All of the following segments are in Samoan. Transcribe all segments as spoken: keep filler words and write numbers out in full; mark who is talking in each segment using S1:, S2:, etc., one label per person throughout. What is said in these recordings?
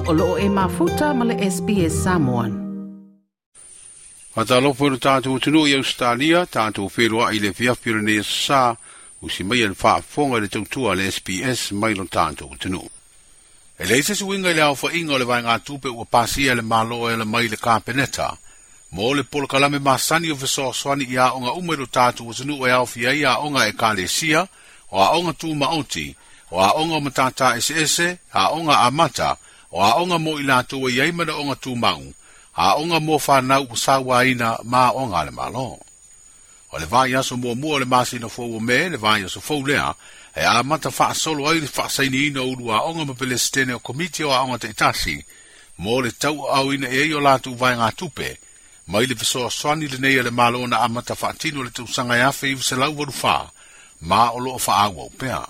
S1: O loo e mafuta ma le S B S Samoan.
S2: Faatalofa i lo tatou atunuu i Ausetalia, tatou feloai i le afiafi o lenei aso sa, usi mai e le faafofoga i le tautua a le S B S mai lo tatou atunuu. E leai se suiga i le aofaiga o le vaegatupe ua pasia e le Malo e ala mai i le Kapeneta, mo le polokalame masani o fesoasoani i aoga uma i lo tatou atunuu e aofia ai aoga ekalesia, o aoga tumaoti, o aoga o matata eseese, aoga amata, o aoga mo i latou e i ai manaoga tumau, aoga mo fanau ua sauaina ma aoga a le Malo. O le vaiaso muamua o le masina fou o Me, le vaiaso fou lea, e amata faasolo ai le faasainiina o ulu aoga ma Pelesitene o Komiti o Aoga Taitasi, mo le tauaaoina i ai o latou vaegatupe, mai le fesoasoani lenei a le Malo na amata faatino le tausaga e afe iva selau valu fa, ma o loo faaauau pea.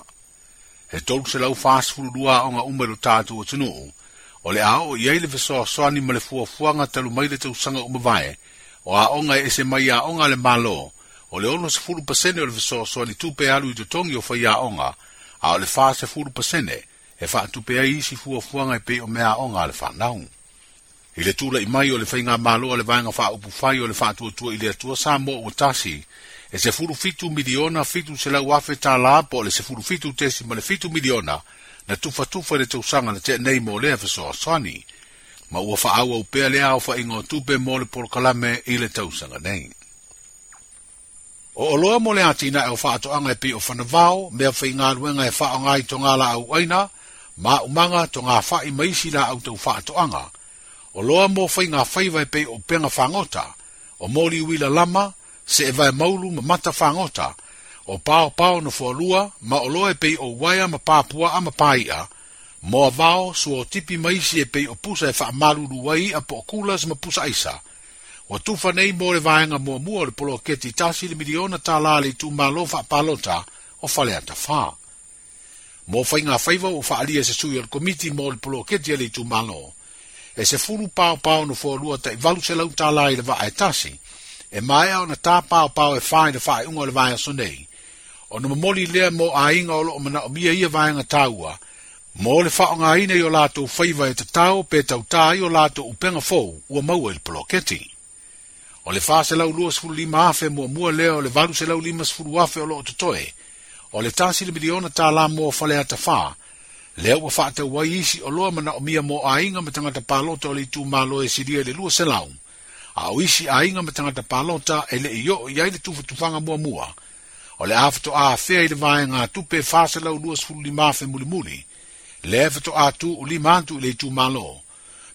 S2: E tolu selau fasefulu lua aoga uma i lo tatou atunuu, o le a oo i ai le fesoasoani ma le fuafuaga talu mai le tausaga uma vae, o aoga e ese mai aoga a le Malo, o le ono sefulu pasene o le fesoasoani tupe alu i totogi o faiaoga, a o le fa sefulu pasene e faatupe ai isi fuafuaga e pei o mea aoga a le fanau. I le tula'i mai o le faigamalo a le vaega faaupufai o le faatuatua i le Atua Samoa ua tasi, e sefulu fitu miliona fitu selau afe tālā po o le sefulu fitu tesi ma le fitu miliona na tufatufa i le tausaga na tea nei mo lea fesoasoani, ma ua faaauau pea lea aofaiga o tupe mo le polokalame i le tausaga nei. O oloa mo le atinae o faatoaga e pei o fanavao, mea faigaluega e faaaoga i toga laau aina, maumaga, toga fa'i ma isi laau tau faatoaga. Oloa mo faigafaiva e pei o upega fagota, o moli uila lama, seevae maulu ma mata fagota, o paopao no foalua, ma oloa e pei o uaea ma papuaa ma pai'a, moa vao, suotipi ma isi e pei o pusa e faamalulu ai i'a po o kulas ma pusa aisa. Ua tufa nei mo le vaega muamua o le poloketi tasi le miliona tālā le itumalo faapalota o Faleata Fa. Mo faigafaiva ua faaalia se sui o le komiti mo le poloketi a le itumalo, e sefulu paopao no foalua ta'i valu selau tālā i le vaa e tasi, e maea ona tā paopao e fa i le faaiuga o le vaiaso nei, ona momoli lea mo aiga o loo manaomia ia vaega taua, mo le faaaogaina i o latou faiva e tatao pe tautā ai o latou upega fou ua maua i le poloketi. O le fa selau lua sefulu lima afe muamua lea o le valu selau lima sefulu afe o loo totoe, o le tasi le miliona tālā mo Faleata Fa, lea ua faatau ai isi oloa manaomia mo aiga ma tagata palota o le itumalo e silia i le lua selau, a o isi aiga ma tagata palota e le'i oo i ai le tufatufaga muamua, o le a fatoa afea i le vaega tupe fa selau lua sefulu lima afe mulimuli, lea e fatoa tu'u lima atu i le itumalo,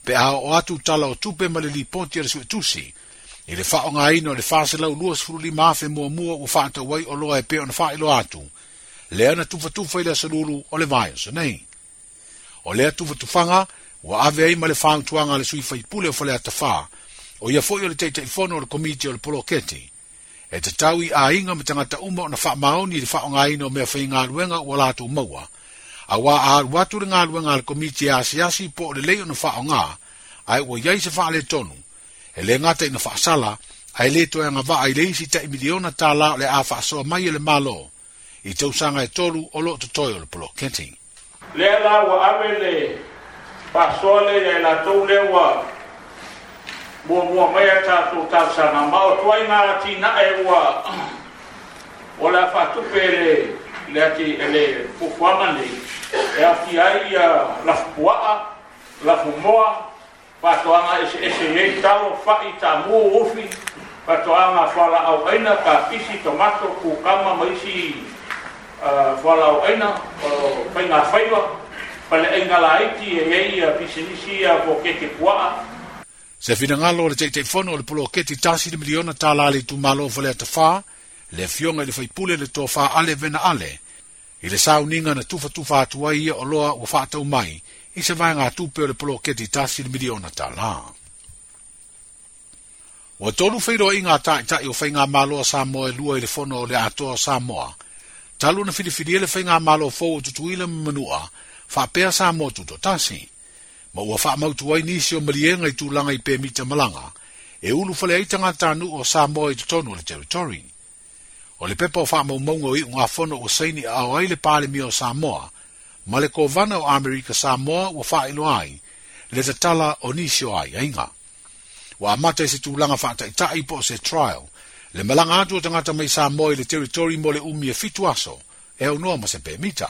S2: pe a oo atu tala o tupe ma le lipoti a le suetusi, i le faaaogaina o le fa selau lua sefulu lima afe muamua ua faatau ai oloa e pei ona faailoa atu, lea na tufatufa i le aso lulu o le vaiaso nei. O lea tufatufaga ua ave ai ma le fautuaga a le sui faipule o Faleata Fa, o ia foi o le taitaifono o le komiti o le poloketi, e tatau i aiga ma tagata uma ona faamaoni i le faaaogaina o mea faigaluega ua latou maua, auā a alu atu le galuega a le komiti e asiasi po o lelei ona faaaoga, ae ua iai se faaletonu, e le gata ina faasala, ae le toe agavaa i le isi ta'i miliona tālā o le a faasoa mai e le Malo, i tausaga e tolu o loo totoe o le poloketi.
S3: Lea la ua ave le faasoa lea ia i latou lea ua muamua mai a tatou talosaga, ma o tuaiga atinae ua o le a faatupe le le ati le fuafuaga nei, e aofia ai ia lafupuaa, lafumoa, faatoaga eseese i ai talo, fa'i, tamu, ufi, faatoaga fualaau aina, kapisi, tomato, kukama ma isi fualaau aina, o faigafaiva, faleaiga laiti e i ai ia pisinisi ia po keke puaa.
S2: Se finagalo o le taitaifono o le poloketi tasi le miliona tālā le itumalo o Faleata Fa, le afioga i le faipule le tofa Ale Vena Ale, i le sauniga na tufatufa atu ai ia oloa ua faatau mai i se vaegatupe o le poloketi tasi le miliona tālā. Ua tolu feiloaiga a ta'ita'i o faigamalo a Samoa e lua i le fono o le Atoa o Samoa, talu na filifilia le faigamalo fou o Tutuila ma Manua, faapea Samoa Tutoatasi, ma ua faamautu ai nisi o maliega i tulaga i pemita malaga, e ulufale ai tagatanuu o Samoa i totonu o le territory. O le pepa o faamaumauga o iugafono ua saini aao ai le Palemia o Samoa, ma le kovana o Amerika Samoa ua faailoa ai, Le tatala o nisi o aiaiga. Ua amata i se tulaga faataita'i po o se trial, le malaga atu o tagata mai Samoa i le territory mo le umi e fitu aso, e aunoa ma se pemita.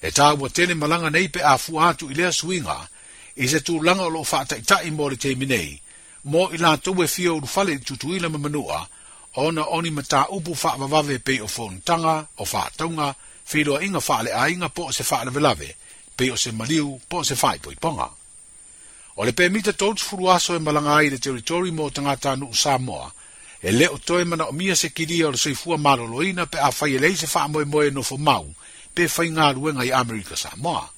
S2: E tāua tele malaga nei pe afua atu i lea suiga, i se tulaga o loo faataita'i mo le taimi nei, mo i latou e fia ulufale i Tutuila ma Manua, ona o ni mataupu faavavave pei o fonotaga, o faatauga, feiloaiga faaleaiga po o se faalavelave, pei o se maliu po o se faaipoipoga. O le pemita tolu aso e malaga ai le territory mo tagata nuu Samoa, e le o toe manaomia se kilia o le soifua maloloina pe afai e leai se faamoemoe nofo mau, pe faigaluega i Amerika Samoa.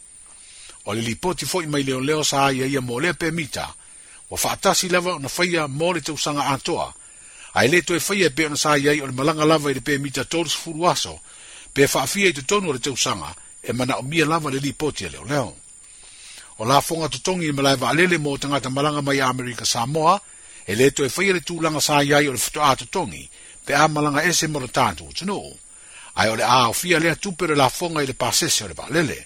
S2: O le lipoti foi mai leoleo sa ia ia mo lea pemita, ua faatasi lava ona faia mo le tausaga atoa, ae le toe faia pe ona sa iai o le malaga lava i le pemita tolu aso, pe faafia i totonu o le tausaga, e manaomia lava le lipoti a leoleo. O lafoga totogi i malae vaalele mo tagata malaga mai Amerika Samoa, e le toe faia le tulaga sa iai o le faatoa totogi, pe a malaga ese mo le tatou atunuu. Ae o le a aofia lea tupe o le lafoga i le pasese o le vaalele.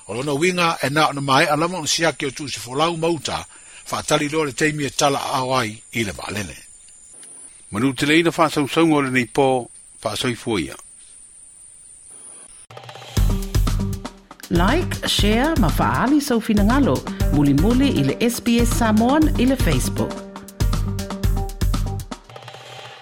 S2: O lona uiga e na ona maea lava ona siaki o tusifolau ma uta, faatali loa le taimi e tala aao ai i le vaalele. Manuteleina faasausauga o lenei po, faasoifua ia.
S1: Like, share ma faali sau finagalo, mulimuli i le S B S Samoan i le Facebook.